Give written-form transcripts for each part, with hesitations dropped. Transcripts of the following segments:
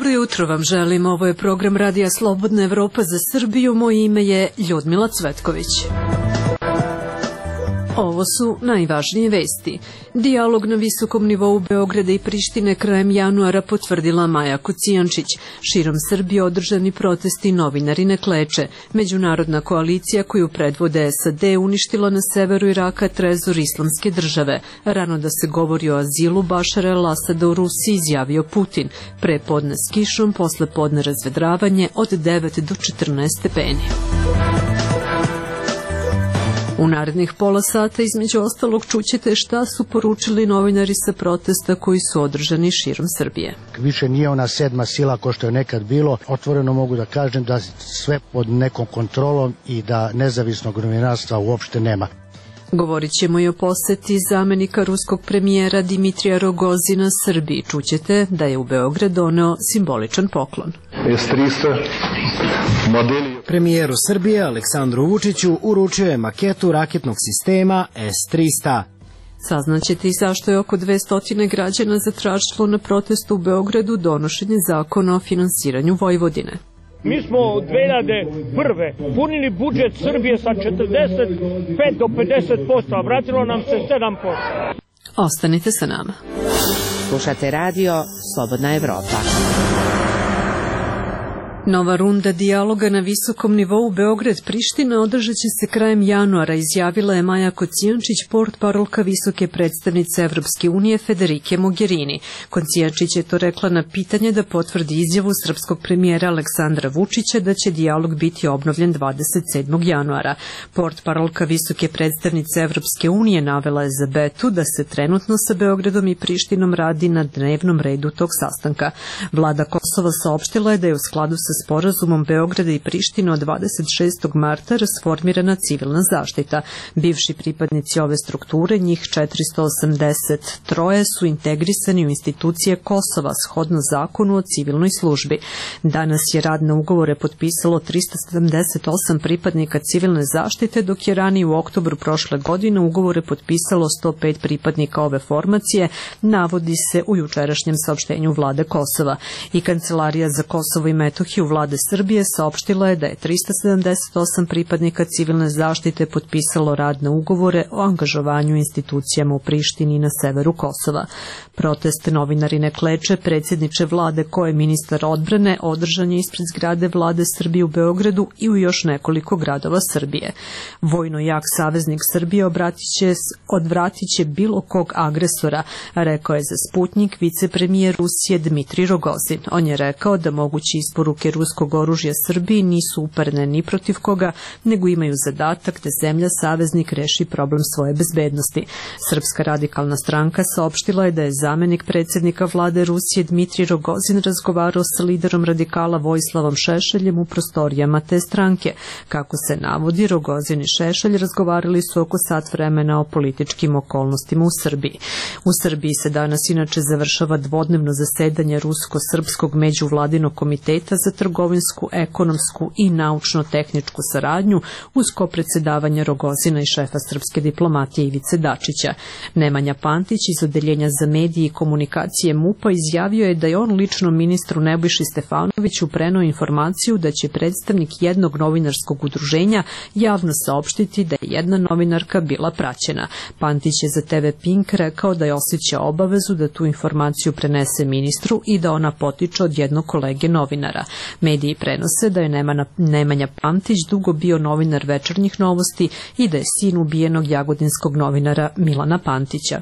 Dobro jutro vam želim, ovo je program Radija Slobodna Evropa za Srbiju, moje ime je Ljudmila Cvetković. Ovo su najvažnije vesti. Dijalog na visokom nivou Beograda i Prištine krajem januara potvrdila Maja Kocijančić. Širom Srbije održani protesti novinari ne kleče. Međunarodna koalicija koju predvode SAD uništila na severu Iraka trezor Islamske države. Rano da se govori o azilu Bašara el-Asada u Rusiji, izjavio Putin. Pre podne s kišom, posle podne razvedravanje od 9 do 14 stepeni. U narednih pola sata između ostalog čućete šta su poručili novinari sa protesta koji su održani širom Srbije. Više nije ona sedma sila ko što je nekad bilo. Otvoreno mogu da kažem da sve pod nekom kontrolom i da nezavisnog novinarstva uopšte nema. Govorit ćemo i o poseti zamenika ruskog premijera Dimitrija Rogozina Srbiji. Čućete da je u Beograd doneo simboličan poklon. Premijeru Srbije Aleksandru Vučiću uručio je maketu raketnog sistema S-300. Saznaćete i zašto je oko 200 građana zatražilo na protestu u Beogradu donošenje zakona o finansiranju Vojvodine. Mi smo od 2001. punili budžet Srbije sa 45 do 50%, a vratilo nam se 7%. Ostanite sa nama. Slušate radio Slobodna Evropa. Nova runda dijaloga na visokom nivou Beograd-Priština održat će se krajem januara, izjavila je Maja Kocijančić, portparolka visoke predstavnice Evropske unije Federike Mogherini. Kocijančić je to rekla na pitanje da potvrdi izjavu srpskog premijera Aleksandra Vučića da će dijalog biti obnovljen 27. januara. Portparolka visoke predstavnice Evropske unije navela je za Betu da se trenutno sa Beogradom i Prištinom radi na dnevnom redu tog sastanka. Vlada Kosova saopštila je da je u skladu sa sporazumom Beograda i Prištine od 26. marta rasformirana civilna zaštita. Bivši pripadnici ove strukture, njih 483, su integrisani u institucije Kosova shodno zakonu o civilnoj službi. Danas je rad na ugovore potpisalo 378 pripadnika civilne zaštite, dok je ranije u oktobru prošle godine ugovore potpisalo 105 pripadnika ove formacije, navodi se u jučerašnjem saopštenju vlade Kosova. I Kancelarija za Kosovo i Metohiju vlade Srbije saopštila je da je 378 pripadnika civilne zaštite potpisalo radne ugovore o angažovanju institucijama u Prištini i na severu Kosova. Protest novinari ne kleče, predsjedniče vlade ko je ministar odbrane, održan je ispred zgrade vlade Srbije u Beogradu i u još nekoliko gradova Srbije. Vojno jak saveznik Srbije odvratit će bilo kog agresora, rekao je za Sputnjik vicepremijer Rusije Dmitrij Rogozin. On je rekao da moguće isporuke ruskog oružja Srbiji nisu uperene ni protiv koga, nego imaju zadatak da zemlja saveznik reši problem svoje bezbednosti. Srpska radikalna stranka saopštila je da je zamenik predsjednika vlade Rusije Dmitrij Rogozin razgovarao sa liderom radikala Vojislavom Šešeljem u prostorijama te stranke. Kako se navodi, Rogozin i Šešelj razgovarali su oko sat vremena o političkim okolnostima u Srbiji. U Srbiji se danas inače završava dvodnevno zasedanje Rusko-srpskog međuvladinog komiteta za trgovinsku, ekonomsku i naučno-tehničku saradnju uz kopredsedavanje Rogozina i šefa srpske diplomatije Ivice Dačića. Nemanja Pantić iz Odeljenja za medije i komunikacije MUP-a izjavio je da je on lično ministru Nebojši Stefanoviću preneo informaciju da će predstavnik jednog novinarskog udruženja javno saopštiti da je jedna novinarka bila praćena. Pantić je za TV Pink rekao da je osjećao obavezu da tu informaciju prenese ministru i da ona potiče od jednog kolege novinara. Mediji prenose da je Nemanja Pantić dugo bio novinar Večernjih novosti i da je sin ubijenog jagodinskog novinara Milana Pantića.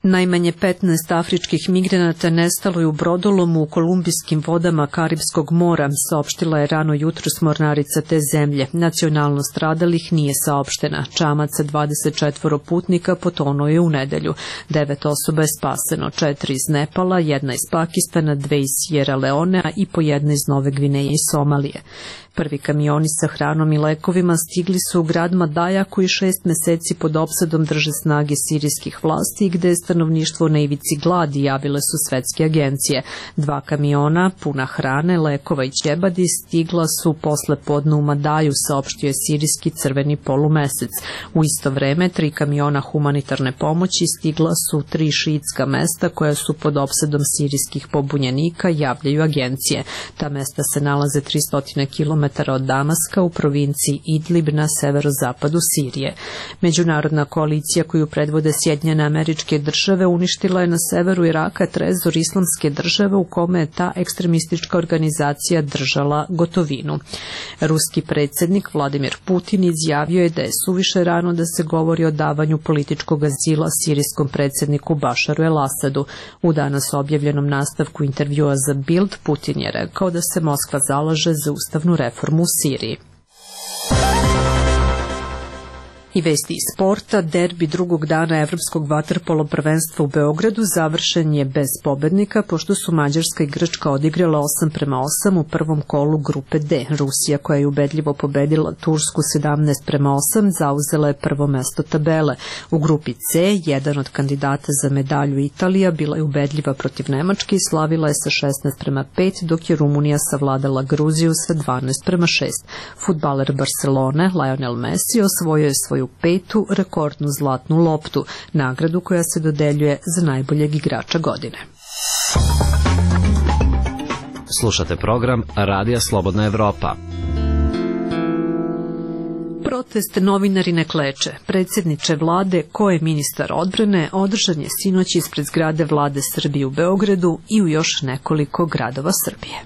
Najmanje 15 afričkih migranata nestalo je u brodolomu u kolumbijskim vodama Karipskog mora, saopštila je rano jutros mornarica te zemlje. Nacionalnost stradalih nije saopštena. Čamac sa 24 putnika potonuo je u nedelju. 9 osoba je spaseno, 4 iz Nepala, 1 iz Pakistana, 2 iz Sierra Leonea i po 1 iz Nove Gvineje i Somalije. Prvi kamioni sa hranom i lekovima stigli su u grad Madaja koji 6 meseci pod opsadom drže snage sirijskih vlasti i gde je stanovništvo na ivici gladi, javile su svetske agencije. 2 kamiona puna hrane, lekova i ćebadi stigla su posle podne u Madaju, saopštio je sirijski Crveni polumesec. U isto vreme 3 kamiona humanitarne pomoći stigla su 3 šiitska mesta koja su pod opsadom sirijskih pobunjenika, javljaju agencije. Ta mesta se nalaze 300 km od Damaska u provinciji Idlib na severozapadu Sirije. Međunarodna koalicija koju predvode Sjedinjene Američke Države uništila je na severu Iraka trezor Islamske države u kome je ta ekstremistička organizacija držala gotovinu. Ruski predsjednik Vladimir Putin izjavio je da je suviše rano da se govori o davanju političkog azila sirijskom predsjedniku Bašaru el-Asadu. U danas objavljenom nastavku intervjua za Bild, Putin je rekao da se Moskva zalaže za ustavnu reformu u Siriji. I vesti iz sporta, derbi drugog dana evropskog vaterpolo prvenstva u Beogradu završen je bez pobednika, pošto su Mađarska i Grčka odigrala 8:8 u prvom kolu grupe D. Rusija, koja je ubedljivo pobedila Tursku 17:8, zauzela je prvo mesto tabele. U grupi C, jedan od kandidata za medalju Italija bila je ubedljiva protiv Nemačke i slavila je sa 16:5, dok je Rumunija savladala Gruziju sa 12:6. Fudbaler Barcelone, Lionel Messi, osvojio je svoju 5. rekordnu zlatnu loptu, nagradu koja se dodeljuje za najboljeg igrača godine. Slušate program Radija Slobodna Evropa. Protest novinari ne kleče. Predsjedniče vlade, ko je ministar odbrane, održan je sinoć ispred zgrade vlade Srbije u Beogradu i u još nekoliko gradova Srbije.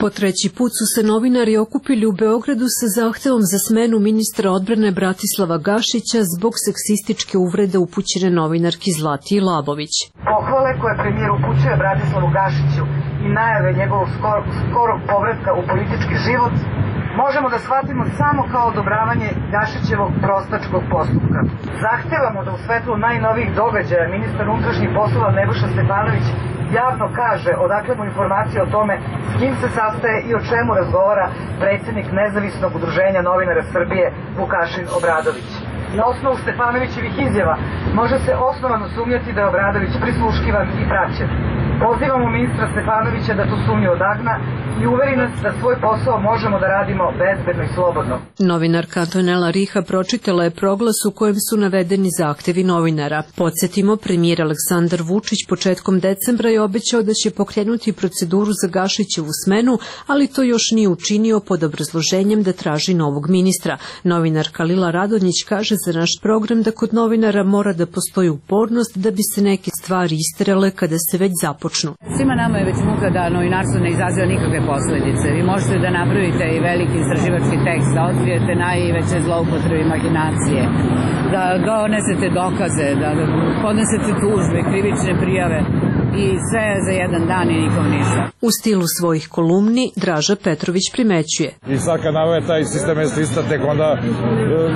Po 3. put su se novinari okupili u Beogradu sa zahtevom za smenu ministra odbrane Bratislava Gašića zbog seksističke uvrede upućene novinarki Zlatiji Labović. Pohvale koje premijer upućuje Bratislavu Gašiću i najave njegovog skorog povratka u politički život možemo da shvatimo samo kao odobravanje Gašićevog prostačkog postupka. Zahtevamo da u svetlu najnovijih događaja ministar unutrašnjih poslova Nebojša Stefanović javno kaže odakle mu informacije o tome s kim se sastaje i o čemu razgovara predsjednik Nezavisnog udruženja novinara Srbije Vukašin Obradović. Na osnovu Stefanovićevih izjava može se osnovano sumnjati da je Obradović prisluškivan i praćen. Pozivamo ministra Stefanovića da tu sumnju odagna i uveri nas da svoj posao možemo da radimo bezbedno i slobodno. Novinarka Antonela Riha pročitala je proglas u kojem su navedeni zahtevi novinara. Podsjetimo, premijer Aleksandar Vučić početkom decembra je obećao da će pokrenuti proceduru za Gašićevu smenu, ali to još nije učinio pod obrazloženjem da traži novog ministra. Novinarka Lila Radonjić kaže za naš program da kod novinara mora da postoji upornost da bi se neke stvari isterale kada se već započnu. Svima nama je već muka da novinarstvo ne izaziva nikakve posledice. Vi možete da napravite i veliki istraživački tekst, da otkrijete najveće zloupotrebe i mahinacije, da donesete dokaze, da podnesete tužbe, krivične prijave i sve za jedan dan i nikom ništa. U stilu svojih kolumni Draža Petrović primećuje. I sad kad navode taj sistem lista, tek onda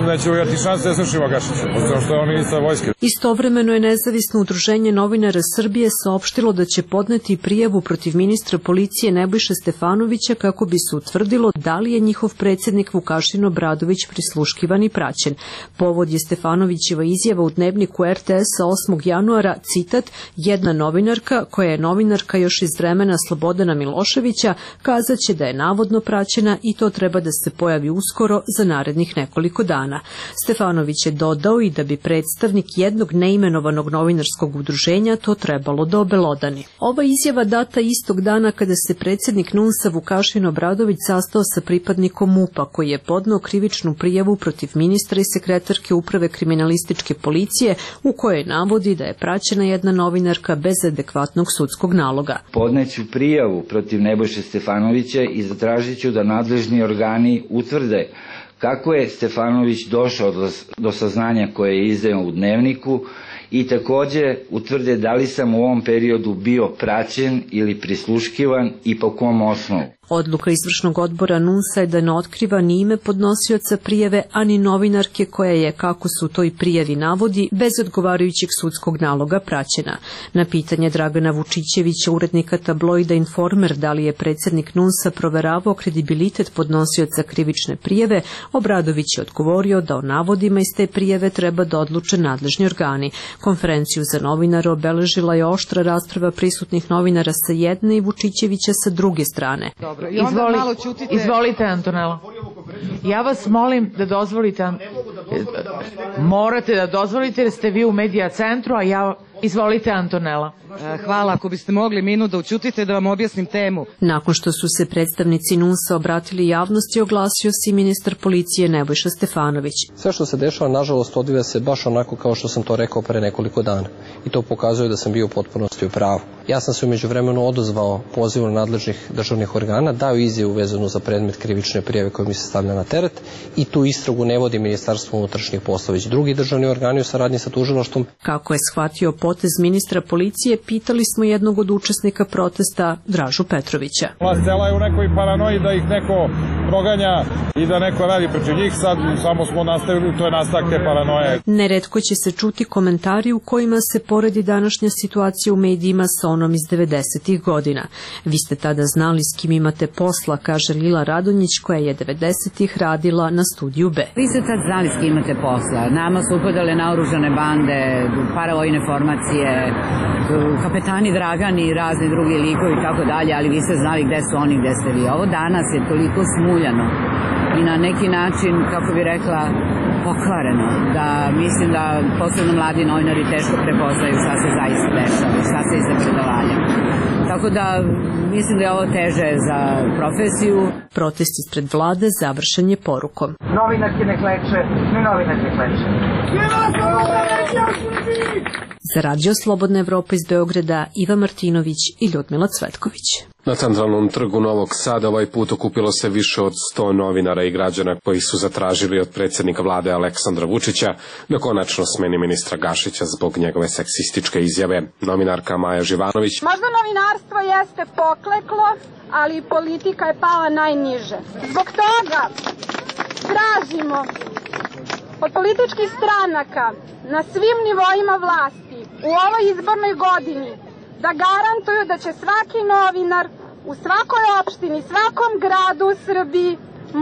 neće uvijati šanse da slušimo Gašića, zato što je on ministar vojske. Istovremeno je Nezavisno udruženje novinara Srbije saopštilo da će podneti prijavu protiv ministra policije Nebojše Stefanovića kako bi se utvrdilo da li je njihov predsjednik Vukašin Obradović prisluškivan i praćen. Povod je Stefanovićeva izjava u dnevniku RTS-a 8. januara, citat, jedna novinarka, koja je novinarka još iz vremena Slobodana Miloševića, kazaće da je navodno praćena i to treba da se pojavi uskoro za narednih nekoliko dana. Stefanović je dodao i da bi predstavnik jednog neimenovanog novinarskog udruženja to trebalo da obelodani. Ova izjava data istog dana kada se predsjednik NUNS-a Vukašin Obradović sastao sa pripadnikom MUP-a koji je podneo krivičnu prijavu protiv ministra i sekretarke uprave kriminalističke policije u kojoj navodi da je praćena jedna novinarka bez adekvatnog sudskog naloga. Podneću prijavu protiv Nebojše Stefanovića i zatražit ću da nadležni organi utvrde kako je Stefanović došao do saznanja koje je izdao u dnevniku i takođe utvrde da li sam u ovom periodu bio praćen ili prisluškivan i po kom osnovu. Odluka izvršnog odbora NUNS-a je da ne otkriva ni ime podnosioca prijave, ani novinarke koja je, kako su to i prijavi navodi, bez odgovarajućeg sudskog naloga praćena. Na pitanje Dragana Vučićevića, urednika tabloida Informer, da li je predsjednik NUNS-a proveravao kredibilitet podnosioca krivične prijave, Obradović je odgovorio da o navodima iz te prijave treba da odluče nadležni organi. Konferenciju za novinare obeležila je oštra rasprava prisutnih novinara sa jedne i Vučićevića sa druge strane. Izvolite, Antonela. Ja vas molim da dozvolite, morate da dozvolite jer ste vi u medija centru, a ja... Izvolite, Antonela. Hvala, ako biste mogli minut da učutite da vam objasnim temu. Nakon što su se predstavnici NUNS-a obratili javnosti, oglasio se i ministar policije Nebojša Stefanović. Sve što se dešava, nažalost, odvija se baš onako kao što sam to rekao pre nekoliko dana. I to pokazuje da sam bio u potpunosti u pravu. Ja sam se u međuvremenu odozvao pozivu nadležnih državnih organa, dao izjavu vezanu za predmet krivične prijave koja mi se stavlja na teret i tu istragu ne vodi Ministarstvo unutrašnjih poslova, već drugi državni organi u saradnji sa tužilaštvom. Kako je shvatio potez ministra policije, pitali smo jednog od učesnika protesta, Dražu Petrovića. Vlast cela je u nekoj paranoji da ih neko proganja i da neko radi protiv njih, sad samo smo nastavili, to je nastavak te paranoje. Neretko će se čuti komentari u kojima se poredi današnja situacija u medijima sa onom iz 90-ih godina. Vi ste tada znali s kim imate posla, kaže Lila Radonjić, koja je 90-ih radila na Studiju B. Vi ste tad znali s kim imate posla. Nama su upadale naoružane bande, paravojne formacije, kapetani Dragani i razni drugi likovi i tako dalje, ali vi ste znali gde su oni, gde ste vi. Ovo danas je toliko smuljano i na neki način, kako bi rekla, pokvareno, da mislim da posebno mladi novinari teško prepoznaju šta se zaista dešava, šta se iza predavanja. Tako da mislim da je ovo teže za profesiju. Protest ispred vlade završen je porukom. Novinarke ne kleče, ni novinarke kleče. Za Radio Slobodna Evropa iz Beograda, Iva Martinović i Ljudmila Cvetković. Na centralnom trgu Novog Sada ovaj put okupilo se više od 100 novinara i građana koji su zatražili od predsjednika vlade Aleksandra Vučića da konačno smeni ministra Gašića zbog njegove seksističke izjave. Novinarka Maja Živanović. Možda novinarstvo jeste pokleklo, ali politika je pala najniže. Zbog toga tražimo od političkih stranaka na svim nivoima vlasti u ovoj izbornoj godini da garantuju da će svaki novinar u svakoj opštini, svakom gradu u Srbiji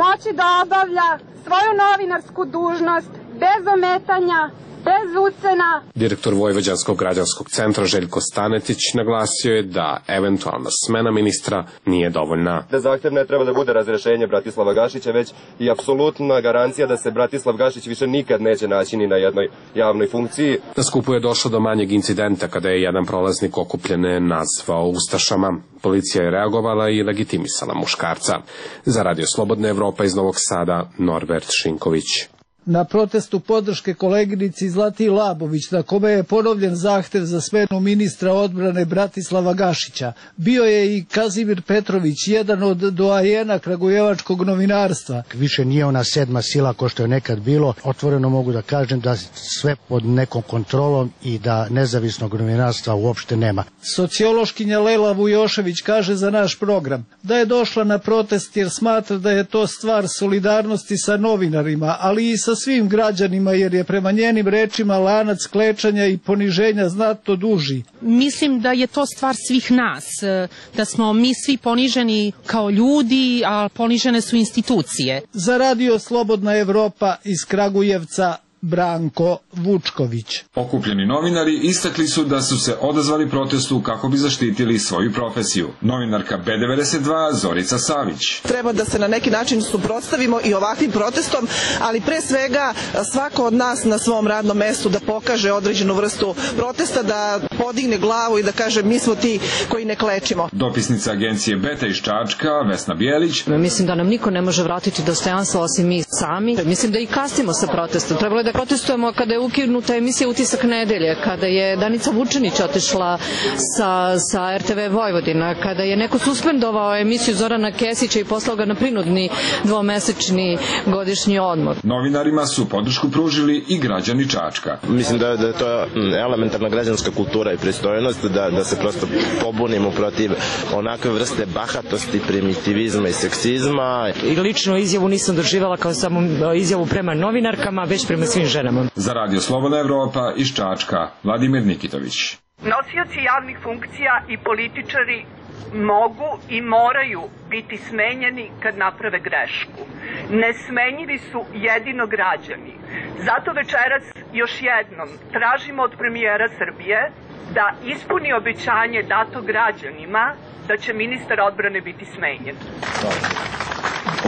moći da obavlja svoju novinarsku dužnost bez ometanja, bez ucena. Direktor Vojvođanskog građanskog centra Željko Stanetić naglasio je da eventualna smena ministra nije dovoljna. Da zahtev ne treba da bude razrešenje Bratislava Gašića, već i apsolutna garancija da se Bratislav Gašić više nikad neće naći ni na jednoj javnoj funkciji. Na skupu je došlo do manjeg incidenta kada je jedan prolaznik okupljene nazvao ustašama. Policija je reagovala i legitimisala muškarca. Za Radio Slobodna Evropa iz Novog Sada, Norbert Šinković. Na protestu podrške koleginici Zlatiji Labović, na kome je ponovljen zahtev za smenu ministra odbrane Bratislava Gašića, bio je i Kazimir Petrović, jedan od doajena kragujevačkog novinarstva. Više nije ona sedma sila ko što je nekad bilo. Otvoreno mogu da kažem da sve pod nekom kontrolom i da nezavisnog novinarstva uopšte nema. Sociološkinja Lela Vujošević kaže za naš program da je došla na protest jer smatra da je to stvar solidarnosti sa novinarima, ali i sa svim građanima, jer je prema njenim rečima lanac klečanja i poniženja znatno duži. Mislim da je to stvar svih nas, da smo mi svi poniženi kao ljudi, a ponižene su institucije. Za Radio Slobodna Evropa iz Kragujevca, Branko Vučković. Okupljeni novinari istakli su da su se odazvali protestu kako bi zaštitili svoju profesiju. Novinarka B92 Zorica Savić. Treba da se na neki način suprotstavimo i ovakvim protestom, ali pre svega svako od nas na svom radnom mestu da pokaže određenu vrstu protesta, da podigne glavu i da kaže mi smo ti koji ne klečimo. Dopisnica agencije Beta iz Čačka, Vesna Bijelić. Mislim da nam niko ne može vratiti dostojanstvo osim mi sami. Mislim da i kasnimo sa protestom. Trebalo je kada protestujemo, kada je ukinuta emisija Utisak nedelje, kada je Danica Vučinić otišla sa RTV Vojvodina, kada je neko suspendovao emisiju Zorana Kesića i poslao ga na prinudni dvomesečni godišnji odmor. Novinarima su podršku pružili i građani Čačka. Mislim da je to elementarna građanska kultura i pristojnost, da se prosto pobunimo protiv onakve vrste bahatosti, primitivizma i seksizma. I lično izjavu nisam doživala kao samo izjavu prema novinarkama, već prema svim ženama. Za Radio Slobodna Evropa iz Čačka, Vladimir Nikitović. Nosioci javnih funkcija i političari mogu i moraju biti smenjeni kad naprave grešku. Nesmenjivi su jedino građani. Zato večeras još jednom tražimo od premijera Srbije da ispuni obećanje dato građanima da će ministar odbrane biti smenjen.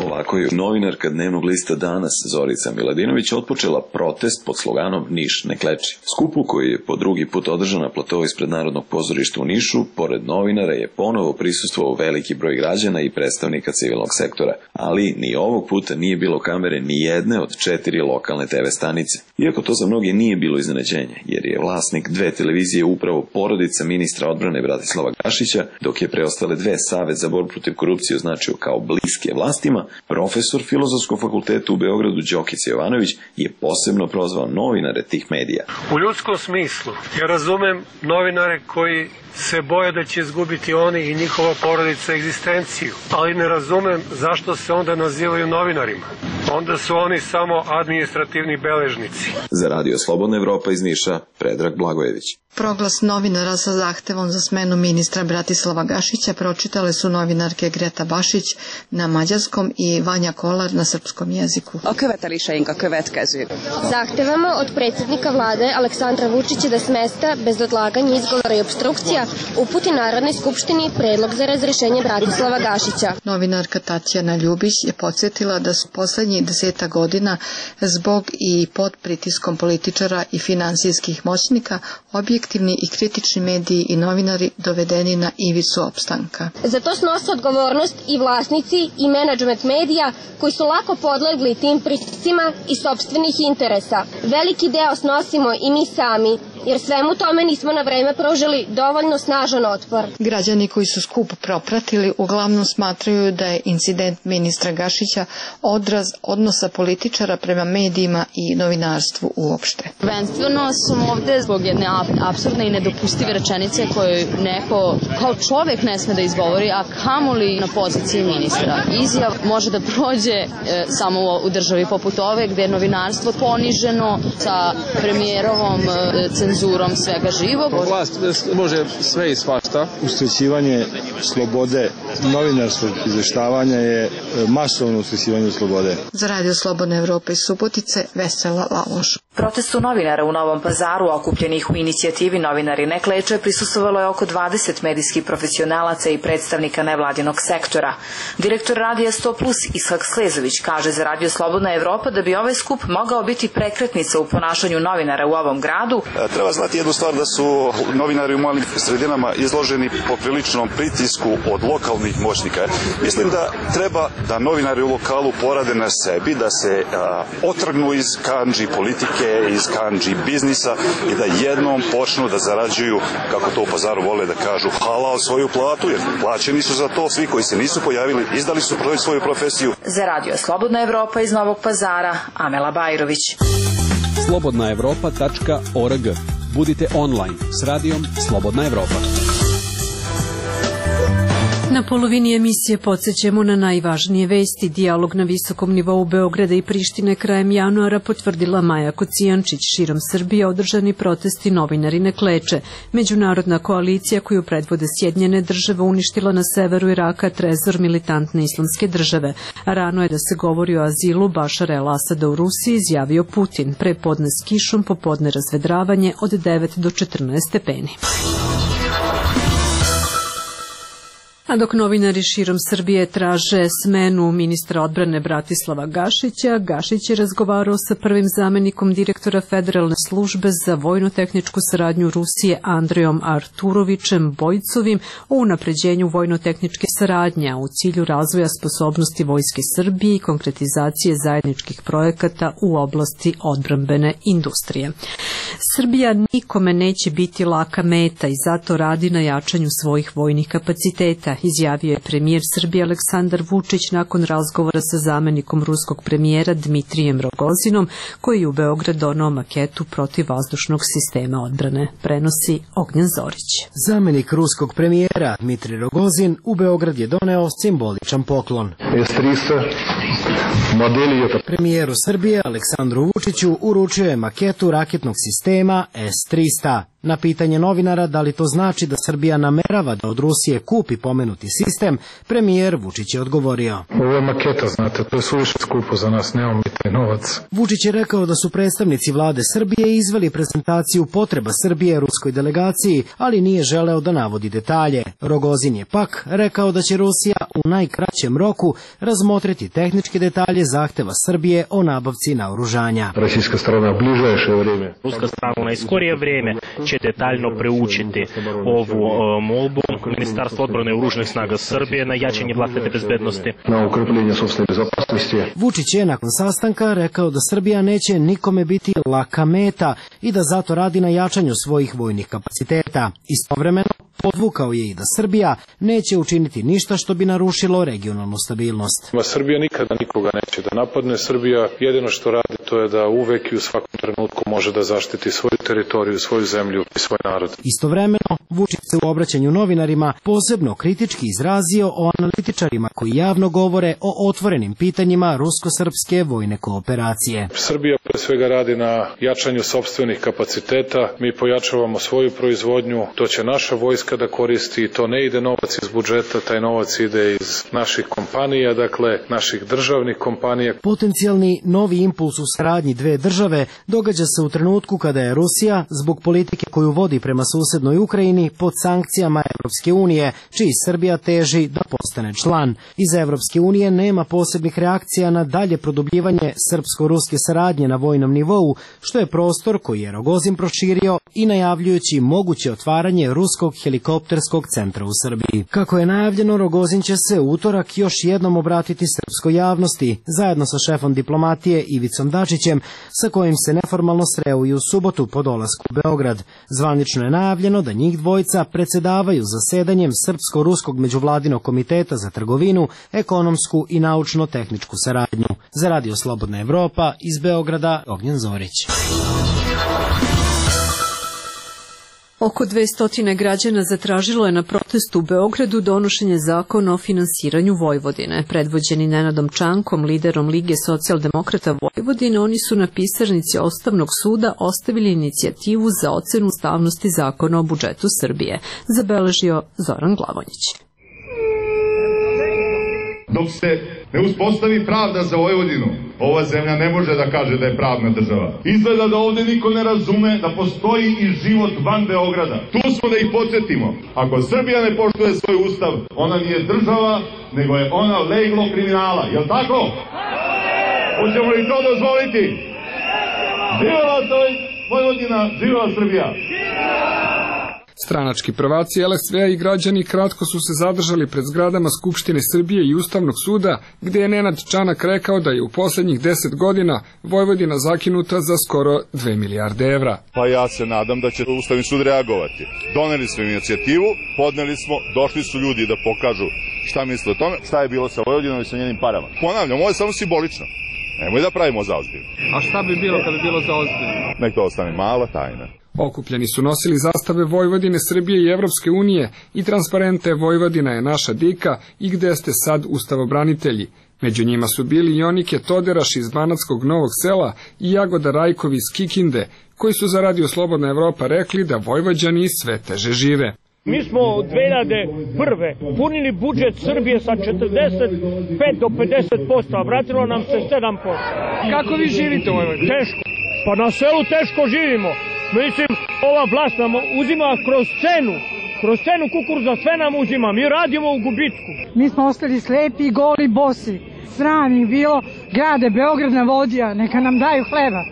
Ovako je novinarka dnevnog lista Danas Zorica Miladinović otpočela protest pod sloganom Niš ne kleči. Skupu koji je po drugi put održan na platovu ispred Narodnog pozorišta u Nišu, pored novinara je ponovo prisustvovao veliki broj građana i predstavnika civilnog sektora, ali ni ovog puta nije bilo kamere ni jedne od 4 lokalne TV stanice. Iako to za mnoge nije bilo iznenađenje, jer je vlasnik 2 televizije upravo porodica ministra odbrane Bratislava Gašića, dok je preostale 2 Savet za borbu protiv korupcije označio kao bliske vlastima, profesor Filozofskog fakulteta u Beogradu Đokić Jovanović je posebno prozvao novinare tih medija. U ljudskom smislu ja razumem novinare koji se boje da će izgubiti oni i njihova porodica egzistenciju, ali ne razumem zašto se onda nazivaju novinarima. Onda su oni samo administrativni beležnici. Za Radio Slobodna Evropa iz Niša, Predrag Blagojević. Proglas novinara sa zahtevom za smenu ministra Bratislava Gašića pročitale su novinarke Greta Bašić na mađarskom i Vanja Kolar na srpskom jeziku. A követeléseink a következő. Zahtevamo od predsjednika vlade Aleksandra Vučića da s mesta bez odlaganja, izgovora i obstrukcija uputi Narodnoj skupštini predlog za razrešenje Bratislava Gašića. Novinarka Tatjana Ljubić je podsjetila da su poslednjih 10 godina zbog i pod pritiskom političara i finansijskih moćnika objektivni i kritični mediji i novinari dovedeni na ivicu opstanka. Za to snose odgovornost i vlasnici i menadžment medija koji su lako podlegli tim pritiscima i sopstvenih interesa. Veliki deo snosimo i mi sami, jer svemu tome nismo na vreme pružili dovoljno snažan otpor. Građani koji su skup propratili uglavnom smatraju da je incident ministra Gašića odraz odnosa političara prema medijima i novinarstvu uopšte. Prvenstveno sam ovde zbog jedne apsurdne i nedopustive rečenice koju neko kao čovek ne sme da izgovori, a kamoli na poziciji ministra. Izjav može da prođe samo u državi poput ove gde je novinarstvo poniženo sa premijerovom cenzurom svega živog. Vlast može sve i svašta. Uskraćivanje slobode novinarskog izveštavanja je masovno uskraćivanje slobode. Za Radio Slobodna Evropa iz Subotice, Vesela Laloš. Protestu novinara u Novom Pazaru, okupljenih u inicijativi Novinari ne kleče, prisustvovalo je oko 20 medijskih profesionalaca i predstavnika nevladinog sektora. Direktor Radija 100 Plus Ishak Slezović kaže za Radio Slobodna Evropa da bi ovaj skup mogao biti prekretnica u ponašanju novinara u ovom gradu. Treba znati jednu stvar, da su novinari u malim sredinama izloženi popriličnom pritisku od lokalnih moćnika. Mislim da treba da novinari u lokalu porade na sebi, da se otrgnu iz kandži politike, iz kandži biznisa i da jednom počnu da zarađuju, kako to u Pazaru vole da kažu, halal svoju platu, jer plaćeni su za to. Svi koji se nisu pojavili, izdali su svoju profesiju. Za Radio Slobodna Evropa iz Novog Pazara, Amela Bajrović. slobodnaevropa.org. Budite online s radijom Slobodna Evropa. Na polovini emisije podsjećamo na najvažnije vesti. Dijalog na visokom nivou Beograda i Prištine krajem januara potvrdila Maja Kocijančić. Širom Srbije održani protesti Novinari ne kleče. Međunarodna koalicija koju predvode Sjedinjene države uništila na severu Iraka trezor militantne islamske države. Rano je da se govori o azilu Bašara el-Asada u Rusiji, izjavio Putin. Prepodne s kišom, popodne razvedravanje od 9 do 14 stepeni. A dok novinari širom Srbije traže smenu ministra odbrane Bratislava Gašića, Gašić je razgovarao sa prvim zamenikom direktora Federalne službe za vojno-tehničku saradnju Rusije Andrejom Arturovićem Bojcovim o unapređenju vojno-tehničke saradnje u cilju razvoja sposobnosti Vojske Srbije i konkretizacije zajedničkih projekata u oblasti odbrambene industrije. Srbija nikome neće biti laka meta i zato radi na jačanju svojih vojnih kapaciteta, izjavio je premijer Srbije Aleksandar Vučić nakon razgovora sa zamenikom ruskog premijera Dmitrijem Rogozinom, koji je u Beograd donao maketu protivvazdušnog sistema odbrane. Prenosi Ognjen Zorić. Zamenik ruskog premijera Dmitrij Rogozin u Beograd je doneo simboličan poklon. Premijeru Srbije Aleksandru Vučiću uručio je maketu raketnog sistema S-300. Na pitanje novinara da li to znači da Srbija namerava da od Rusije kupi pomenuti sistem, premijer Vučić je odgovorio. Ovo je maketa, znate, to je suviše skupo za nas, nemamo mi taj novac. Vučić je rekao da su predstavnici vlade Srbije izveli prezentaciju potreba Srbije ruskoj delegaciji, ali nije želeo da navodi detalje. Rogozin je pak rekao da će Rusija u najkraćem roku razmotriti tehničke detalje zahteva Srbije o nabavci naoružanja. Ruska strana u bližajše vreme. Ruska strana u najskorije vreme će detaljno preučiti ovu molbu Ministarstva odbrane i oružanih snaga Srbije na jačanje vlastite bezbednosti. Na ukrepljenje sopstvene bezopasnosti. Vučić je nakon sastanka rekao da Srbija neće nikome biti laka meta i da zato radi na jačanju svojih vojnih kapaciteta. Istovremeno podvukao je i da Srbija neće učiniti ništa što bi narušilo regionalnu stabilnost. Srbija nikada nikoga neće da napadne. Srbija jedino što radi to je da uvek i u svakom trenutku može da zaštiti svoju teritoriju, svoju zemlju i svoj narod. Istovremeno, Vučić se u obraćanju novinarima posebno kritički izrazio o analitičarima koji javno govore o otvorenim pitanjima rusko-srpske vojne kooperacije. Srbija pre svega radi na jačanju sopstvenih kapaciteta. Mi pojačavamo svoju proizvodnju, to će naša vojska da koristi, to ne ide novac iz budžeta, taj novac ide iz naših kompanija, dakle naših državnih kompanija. Potencijalni novi impuls u saradnji dve države događa se u trenutku kada je Rusija, zbog politike koju vodi prema susednoj Ukrajini, pod sankcijama Evropske unije, čiji Srbija teži da postane član. Iz Evropske unije nema posebnih reakcija na dalje produbljivanje srpsko-ruske saradnje na vojnom nivou, što je prostor koji je Rogozin proširio i najavljujući moguće otvaranje ruskog helikopterskog centra u Srbiji. Kako je najavljeno, Rogozin će se u utorak još jednom obratiti srpskoj javnosti, zajedno sa šefom diplomatije Ivicom Dačićem, sa kojim se neformalno sreo i u subotu po dolasku u Beograd. Zvanično je najavljeno da njih dvojica predsedavaju zasedanjem Srpsko-ruskog međuvladinog komiteta za trgovinu, ekonomsku i naučno-tehničku saradnju. Za Radio Slobodna Evropa, iz Beograda, Ognjen Zorić. Oko 200 građana zatražilo je na protestu u Beogradu donošenje zakona o finansiranju Vojvodine. Predvođeni Nenadom Čankom, liderom Lige socijaldemokrata Vojvodine, oni su na pisarnici Ustavnog suda ostavili inicijativu za ocenu ustavnosti zakona o budžetu Srbije, zabeležio Zoran Glavonjić. Dok se ne uspostavi pravda za Vojvodinu, ova zemlja ne može da kaže da je pravna država. Izgleda da ovde niko ne razume da postoji i život van Beograda. Tu smo da ih podsjetimo. Ako Srbija ne poštuje svoj ustav, ona nije država, nego je ona leglo kriminala. Jel' tako? Hoćemo li to dozvoliti? Živela Vojvodina, živela Srbija! Stranački prvaci LSV-a i građani kratko su se zadržali pred zgradama Skupštine Srbije i Ustavnog suda, gde je Nenad Čanak rekao da je u poslednjih 10 godina Vojvodina zakinuta za skoro 2 milijarde evra. Pa ja se nadam da će Ustavni sud reagovati. Doneli smo inicijativu, podneli smo, došli su ljudi da pokažu šta misle o tome, šta je bilo sa Vojvodinom i sa njenim parama. Ponavljam, ovo je samo simbolično. Nemoj da pravimo zaozbiljno. A šta bi bilo kada bi bilo zaozbiljno? Nek to ostane mala tajna. Okupljeni su nosili zastave Vojvodine, Srbije i Evropske unije i transparente Vojvodina je naša dika i gde ste sad ustavobranitelji. Među njima su bili Jonike Toderaš iz Banatskog Novog Sela i Jagoda Rajkovi iz Kikinde, koji su za Radio Slobodna Evropa rekli da Vojvođani sve teže žive. Mi smo od 2001. punili budžet Srbije sa 45 do 50%, a vratilo nam se 7%. Kako vi živite u Vojvodini? Teško. Pa na selu teško živimo. Mislim, ova vlast nam uzima kroz cenu Kroz cenu kukuruza sve nam uzima, mi radimo u gubitku. Mi smo ostali slepi, goli, bosi. Sram ih bilo, grade Beograd navodija, neka nam daju hleba.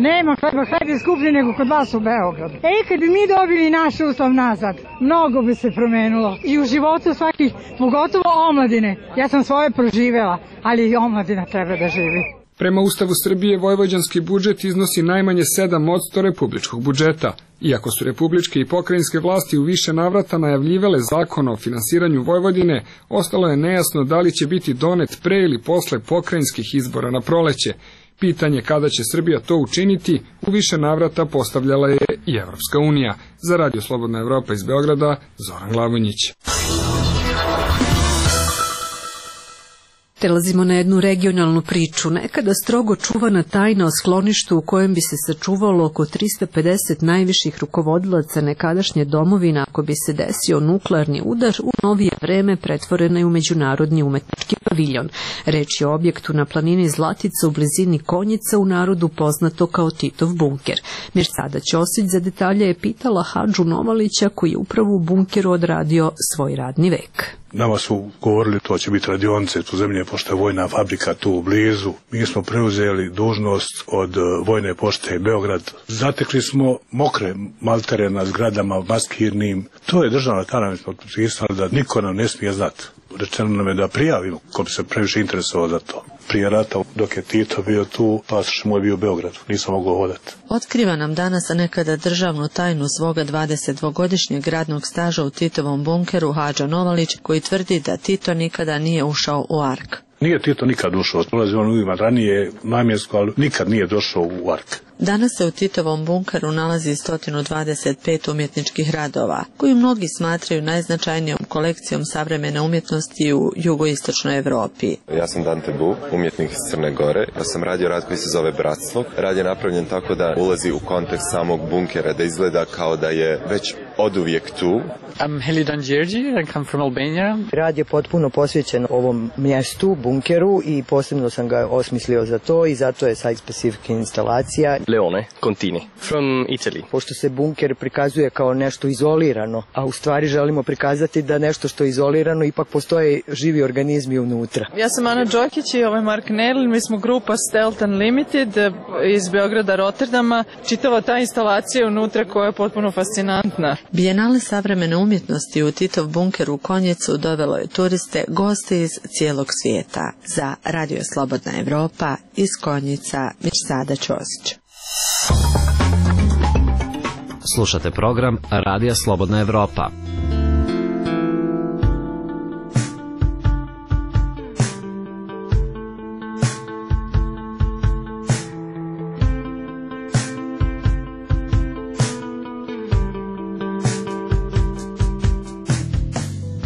Nema hleba, hleb je skuplji nego kod vas u Beogradu. Kad bi mi dobili naš ustav nazad, mnogo bi se promenilo. I u životu svakih, pogotovo omladine. Ja sam svoje proživela, ali i omladina treba da živi. Prema Ustavu Srbije, vojvođanski budžet iznosi najmanje 7% republičkog budžeta. Iako su republičke i pokrajinske vlasti u više navrata najavljivale zakon o finansiranju Vojvodine, ostalo je nejasno da li će biti donet pre ili posle pokrajinskih izbora na proleće. Pitanje kada će Srbija to učiniti u više navrata postavljala je i Evropska unija. Za Radio Slobodna Evropa iz Beograda, Zoran Glavonjić. Prelazimo na jednu regionalnu priču. Nekada strogo čuvana tajna o skloništu u kojem bi se sačuvalo oko 350 najviših rukovodilaca nekadašnje domovine ako bi se desio nuklearni udar, u novije vreme pretvorena je u međunarodni umetnički paviljon. Reč je o objektu na planini Zlatica u blizini Konjica, u narodu poznato kao Titov bunker. Mirsada Ćosić za detalje je pitala Hadžu Novalića, koji je upravo u bunkeru odradio svoj radni vek. Nama su govorili to će biti radionice tu zemlje, pošto je vojna fabrika tu blizu. Mi smo preuzeli dužnost od vojne pošte Beograd. Zatekli smo mokre maltere na zgradama maskirnim. To je državna tajna, mi smo potpisali da niko nam ne smije znati. Rečeno nam je da prijavimo ko bi se previše interesovao za to. Prije rata, dok je Tito bio tu, pasoš moj bio u Beogradu, nisam mogao hodati. Otkriva nam danas nekada državnu tajnu svoga 22-godišnjeg radnog staža u Titovom bunkeru Hadža Novalić, koji tvrdi da Tito nikada nije ušao u Ark. Nije Tito nikad ušao, dolazi on uvijek ranije namjensko, ali nikad nije došao u Ark. Danas se u Titovom bunkeru nalazi 125 umjetničkih radova, koji mnogi smatraju najznačajnijom kolekcijom savremene umjetnosti u jugoistočnoj Evropi. Ja sam Dante Bu, umjetnik iz Crne Gore. Ja sam radio rad koji se zove Bratstvo. Rad je napravljen tako da ulazi u kontekst samog bunkera, da izgleda kao da je već oduvijek tu. I'm Helidan Đerđi, I come from Albania. Rad je potpuno posvećen ovom mjestu, bunkeru, i posebno sam ga osmislio za to i zato je site specific instalacija. Leone Contini, from Italy. Pošto se bunker prikazuje kao nešto izolirano, a u stvari želimo prikazati da nešto što je izolirano ipak postoje živi organizmi unutra. Ja sam Ana Đokić i ovo je Mark Nerl, mi smo grupa Stealth Unlimited iz Beograda, Rotterdama. Čitava ta instalacija unutra koja je potpuno fascinantna. Bijenale savremene umjetnosti u Titov bunker u Konjicu dovelo je turiste, goste iz cijelog svijeta. Za Radio Slobodna Evropa iz Konjica, Mirsada Ćosić. Slušate program Radija Slobodna Evropa.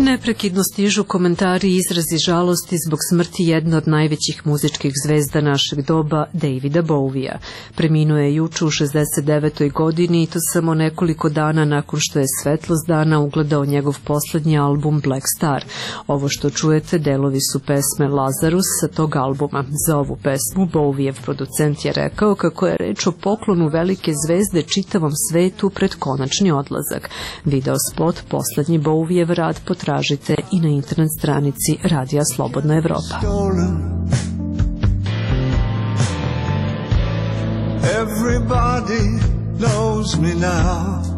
Neprekidno stižu komentari i izrazi žalosti zbog smrti jedne od najvećih muzičkih zvezda našeg doba, Davida Bowija. Preminuo je juče u 69. godini i to samo nekoliko dana nakon što je svetlost dana ugledao njegov poslednji album Black Star. Ovo što čujete delovi su pesme Lazarus sa tog albuma. Za ovu pesmu Bowijev producent je rekao kako je reč o poklonu velike zvezde čitavom svetu pred konačni odlazak. Video spot poslednji Bowijev rad potražite i na internet stranici Radija Slobodna Evropa. Everybody knows me now.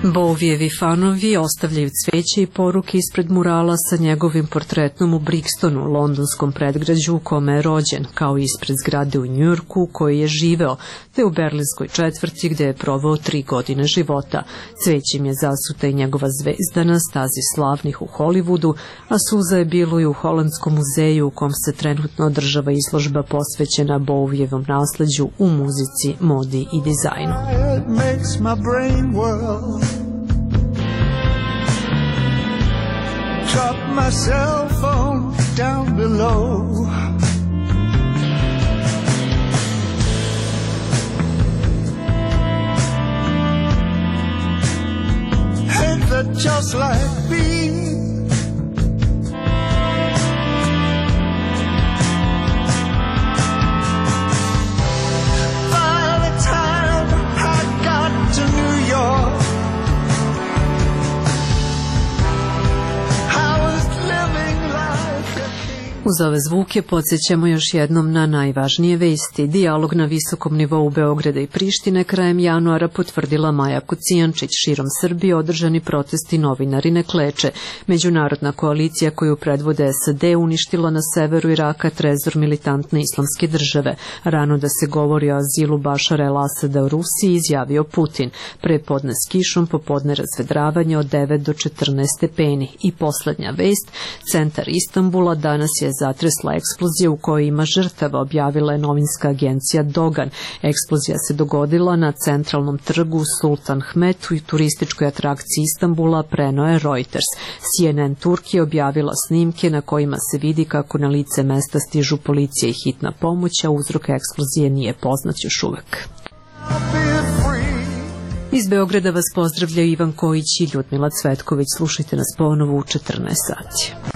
Bowijevi fanovi ostavljaju cveće i poruke ispred murala sa njegovim portretom u Brixtonu, londonskom predgrađu u kome je rođen, kao i ispred zgrade u Njujorku u kojoj je živeo, te u berlinskoj četvrti gde je proveo 3 godine života. Cvećim je zasuta i njegova zvezda na stazi slavnih u Hollywoodu, a suza je bilo i u Holandskom muzeju u kom se trenutno održava izložba posvećena Bowijevom nasleđu u muzici, modi i dizajnu. Drop my cell phone down below. Ain't that just like me? Uz ove zvuke podsjećamo još jednom na najvažnije vesti. Dijalog na visokom nivou Beograda i Prištine krajem januara potvrdila Maja Kocijančić. Širom Srbije održani protesti novinari ne kleče. Međunarodna koalicija koju predvode SAD uništila na severu Iraka trezor militantne islamske države. Rano da se govori o azilu Bašara el-Asada u Rusiji, izjavio Putin. Prepodne s kišom, popodne razvedravanje od 9 do 14 stepeni. I poslednja vest, centar Istanbula danas je zatresla eksplozija u kojoj ima žrtava, objavila je novinska agencija Dogan. Eksplozija se dogodila na centralnom trgu Sultan Hmet u turističkoj atrakciji Istanbula, preneo je Reuters. CNN Turki je objavila snimke na kojima se vidi kako na lice mesta stižu policija i hitna pomoć, a uzrok eksplozije nije poznat još uvek. Iz Beograda vas pozdravljaju Ivan Kojić i Ljudmila Cvetković. Slušajte nas ponovo u 14 sati.